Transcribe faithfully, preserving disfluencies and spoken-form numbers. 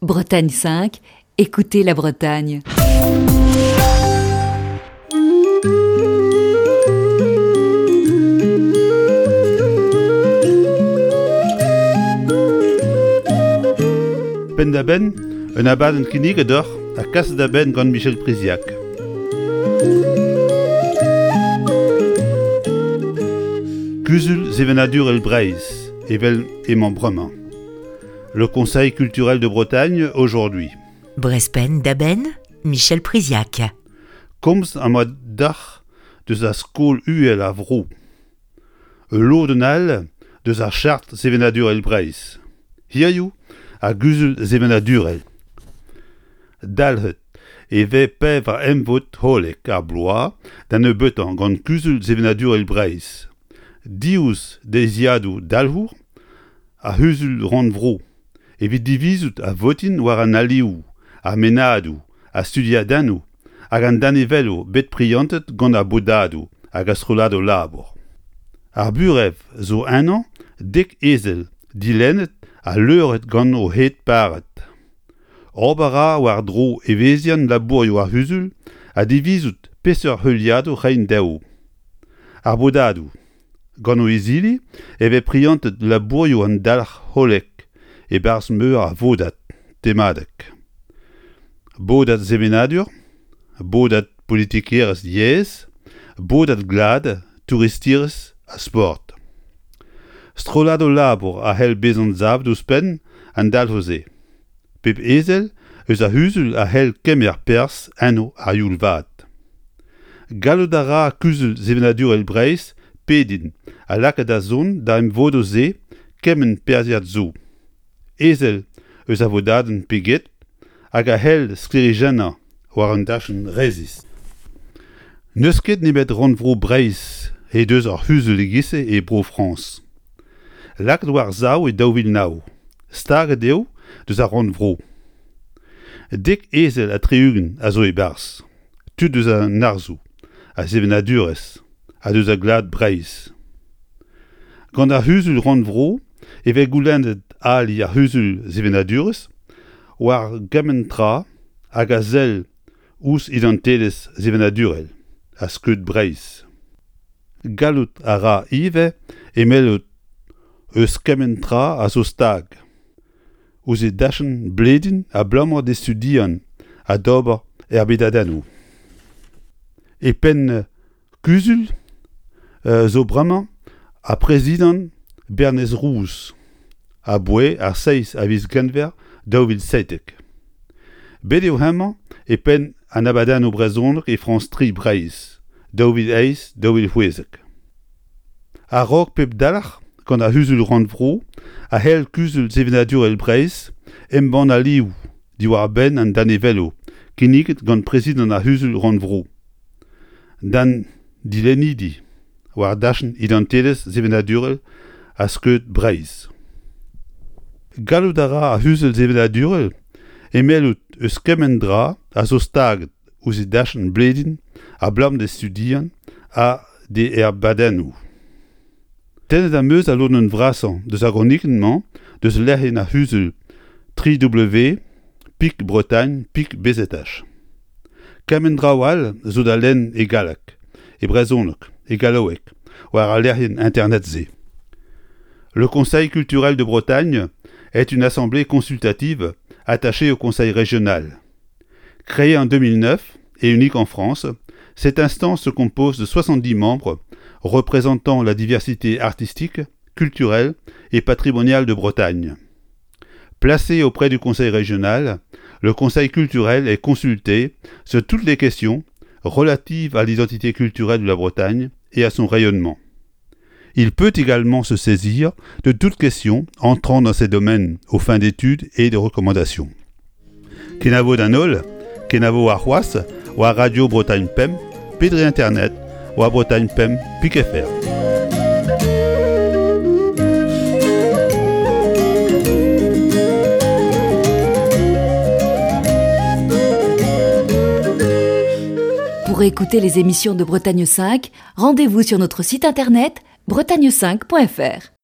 Bretagne cinq, écoutez la Bretagne. Penn-da-benn, un abadenn kinniget deoc'h ha kaset da benn gant Michel Priziac. Kuzul sevenadurel Breizh, evel emañ bremañ. Le Conseil culturel de Bretagne aujourd'hui. Brezh Penn-da-Benn, Michel Priziac. Komz am boa deoc'h deus ar skol uhel a vro. Ul lodenn all deus ar chart sevenadurel Breizh. Hiziv ar guzul sevenadurel. Dalc'het e vez pevar emvod hollek ar bloaz da nebeutañ gant kuzul sevenadurel Breizh. Diouzh deiziadoù dalc'hour ar c'huzul rannvro evit divizout ha votiñ war an alioù, ar mennadoù, ar studiadennoù hag an danevelloù bet prientet gant ar bodadoù hag ar strolladoù labour. Ar burev zo ennañ dek ezel dilennet ha leuret gant o hed paret. Ober a ra war-dro evezhiañ labourioù ar c'huzul ha divizout peseurt heuliadoù reiñ dezho. Ar bodadoù. Gant o izili e vez prientet labourioù an dalc'h hollek e-barzh meur a vodad temadek. Bodad sevenadur, bodad politikerezh yezh, bodad glad, touristerezh ha sport. Strolladoù labour a c'hell bezañ savet ouzhpenn an dalc'hoù-se. Pep ezel eus ar c'huzul a c'hell kemer perzh enno a-youl vat. Gallout a ra kuzul sevenadurel Breizh pediñ ha lakaat da zont da emvodoù-se kement perzhiad zo. Ezel eus ar vodadenn pe get hag a c'hell sklêrijennañ war un dachenn resis. N'eus ket nemet rannvro Breizh he deus ur c'huzul e-giz-se e Bro-Frañs. Lakaet war-sav e daou vil nav. Staget eo deus ar rannvro. Dek ezel ha tri-ugent a zo e-barzh. Tud eus an arzoù, ar sevenadurezh ha deus ar glad Breizh. Gant ar c'huzul rannvro e vez goulennet ali ar c'huzul sevenadurezh war gement tra hag a sell ouzh identelezh sevenadurel ha skeud Breizh. Gallout a ra ivez emellout eus kement tra a zo stag ouzh e dachenn blediñ abalamour d'e studiañ ha d'ober erbedadennoù. E penn kuzul zo bremañ ar prezidant Bernez Rouz aboae ar seizh a viz Genver daou vil seitek. Bet eo hemañ e penn an abadennoù brezhonek e Frañs tri Breizh daou vil eizh daou vil c'hwezek. A-raok pep dalc'h gant ar c'huzul rannvro a c'hell kuzul sevenadurel Breizh embann alioù diwar-benn an danevelloù kinniget gant prezidant ar c'huzul rannvro. D'an dilennidi war dachenn identelezh sevenadurel ha skeud Breizh. Gallout a ra ar c'huzul sevenadurel emellout eus kement dra a zo staget ouzh e dachenn blediñ abalamour d'e studiañ ha d'e erbedadennoù. Tennet am eus al lodenn vrasañ deus ar gronikenn-mañ deus lec'hienn ar c'huzul tri W pik Bretagne pik B Z H. Kement draoù all zo da lenn e galleg, e brezhoneg, e gallaoueg war al lec'hienn internet-se. Le Conseil culturel de Bretagne est une assemblée consultative attachée au Conseil régional. Créée en deux mille neuf et unique en France, cette instance se compose de soixante-dix membres représentant la diversité artistique, culturelle et patrimoniale de Bretagne. Placé auprès du Conseil régional, le Conseil culturel est consulté sur toutes les questions relatives à l'identité culturelle de la Bretagne et à son rayonnement. Il peut également se saisir de toutes questions entrant dans ces domaines aux fins d'études et de recommandations. Kenavo d'an holl, kenavo ar c'hoazh, war Radio Bretagne Pemp, pe dre Internet, war Bretagne Pemp pik F R. Pour écouter les émissions de Bretagne cinq, rendez-vous sur notre site internet bretagne cinq point F R.